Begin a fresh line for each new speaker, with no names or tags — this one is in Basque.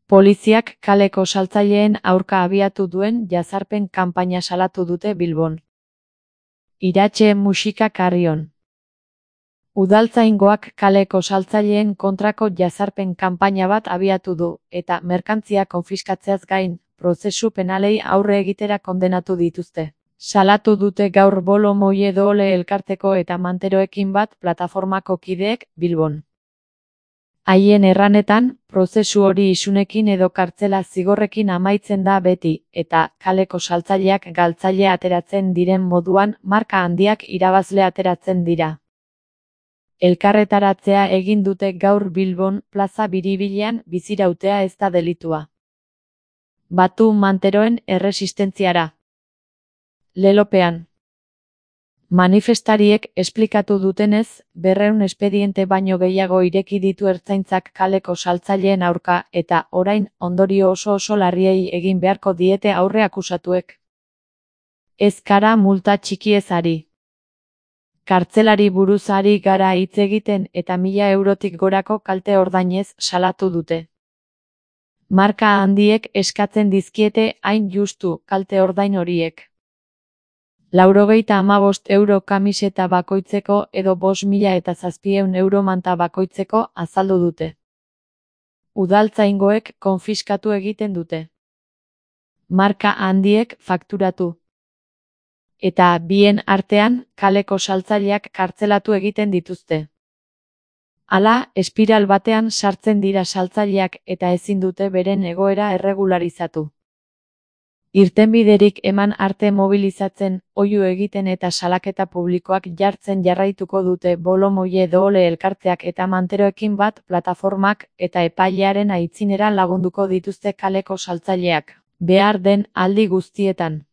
Poliziak kaleko saltzaileen aurka abiatu duen jazarpen kanpaina salatu dute Bilbon. Iratxe musika Carrion. Udaltzaingoak kaleko saltzaileen kontrako jazarpen kanpaina bat abiatu du, eta merkantzia konfiskatzeaz gain, prozesu penalei aurre egitera kondenatu dituzte. Salatu dute gaur Bolo Moie Doole elkarteko eta Manteroekin bat plataformako kideek Bilbon. Haien erranetan, prozesu hori isunekin edo kartzela zigorrekin amaitzen da beti, eta kaleko saltzaileak galtzaile ateratzen diren moduan marka handiak irabazle ateratzen dira. Elkarretaratzea egin dute gaur Bilbon plaza biribilean bizirautea ez da delitua. Batu Manteroen erresistentziara. Lelopean. Manifestariek esplikatu dutenez, 200 espediente baino gehiago ireki ditu ertzaintzak kaleko saltzaileen aurka eta orain ondorio oso larriei egin beharko diete aurre akusatuek. Ez gara multa txikiez ari. Kartzelari buruz ari gara hitz egiten eta 1000 eurotik gorako kalte ordainez salatu dute. Marka handiek eskatzen dizkiete hain justu kalte ordain horiek. 95 euro kamiseta bakoitzeko edo 5.700 euro manta bakoitzeko azaldu dute. Udaltzaingoek konfiskatu egiten dute. Marka handiek fakturatu. Eta bien artean, kaleko saltzaileak kartzelatu egiten dituzte. Hala, espiral batean sartzen dira saltzaileak eta ezin dute beren egoera erregularizatu. Irtenbiderik eman arte mobilizatzen, oihu egiten eta salaketa publikoak jartzen jarraituko dute Bolo Moie Doole elkarteak eta Manteroekin bat plataformak eta epailearen aitzinera lagunduko dituzte kaleko saltzaileak, behar den aldi guztietan.